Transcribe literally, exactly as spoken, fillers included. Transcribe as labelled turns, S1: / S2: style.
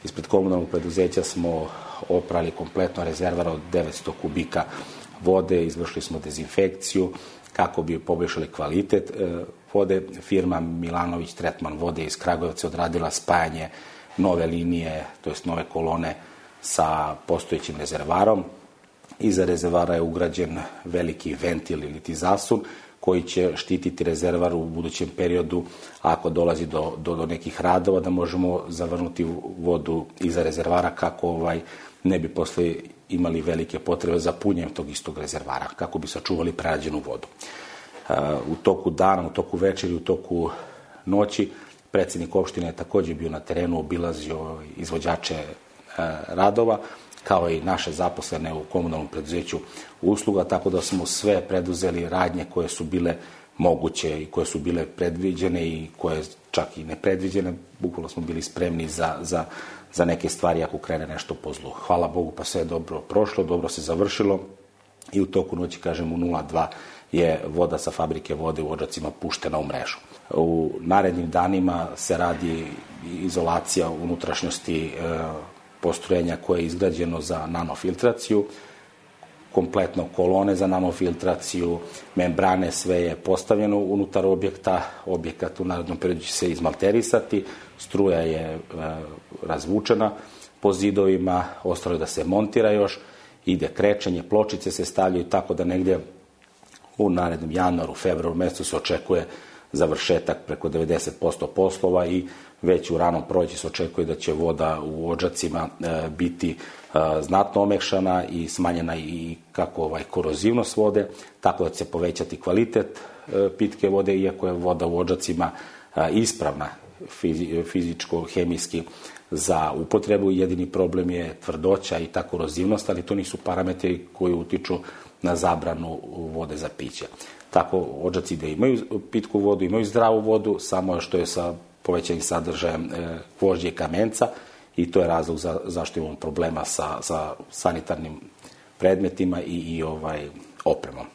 S1: Ispred komunalnog preduzeća smo oprali kompletno rezervar od devetsto kubika vode, izvršili smo dezinfekciju kako bi poboljšali kvalitet vode. Firma Milanović Tretman vode iz Kragujevca odradila spajanje nove linije, to jest nove kolone sa postojećim rezervarom. Iza rezervara je ugrađen veliki ventil ili ti zasun koji će štititi rezervar u budućem periodu ako dolazi do, do, do nekih radova, da možemo zavrnuti vodu iza rezervara kako ovaj, ne bi posle imali velike potrebe za punjenjem tog istog rezervara, kako bi sačuvali prerađenu vodu. U toku dana, u toku večeri, u toku noći predsjednik opštine je također bio na terenu, obilazio izvođače radova, kao i naše zaposlene u komunalnom preduzeću usluga, tako da smo sve preduzeli radnje koje su bile moguće i koje su bile predviđene i koje čak i nepredviđene. Bukvalno smo bili spremni za, za, za neke stvari ako krene nešto po zlu. Hvala Bogu, pa sve je dobro prošlo, dobro se završilo i u toku noći, kažem, u nula dva je voda sa fabrike vode u Odžacima puštena u mrežu. U narednim danima se radi izolacija unutrašnjosti e, postrojenja koje je izgrađeno za nanofiltraciju, kompletno kolone za nanofiltraciju, membrane, sve je postavljeno unutar objekta, objekat u narednom periodu će se izmalterisati, struja je e, razvučena po zidovima, ostalo je da se montira još, ide krečenje, pločice se stavljaju, tako da negdje u narednom januaru, februaru mesecu se očekuje završetak preko devedeset posto poslova i već u ranom proleću se očekuje da će voda u Odžacima e, biti e, znatno omekšana i smanjena i kako ovaj korozivnost vode, tako da će se povećati kvalitet e, pitke vode, iako je voda u Odžacima e, ispravna fizi, fizičko-hemijski za upotrebu. Jedini problem je tvrdoća i ta korozivnost, ali to nisu parametri koji utiču na zabranu vode za piće. Tako Odžaci da imaju pitku vodu, imaju zdravu vodu, samo što je sa povećanim sadržajem e, gvožđa i kamenca i to je razlog za, zašto imamo problema sa, sa sanitarnim predmetima i, i ovaj, opremom.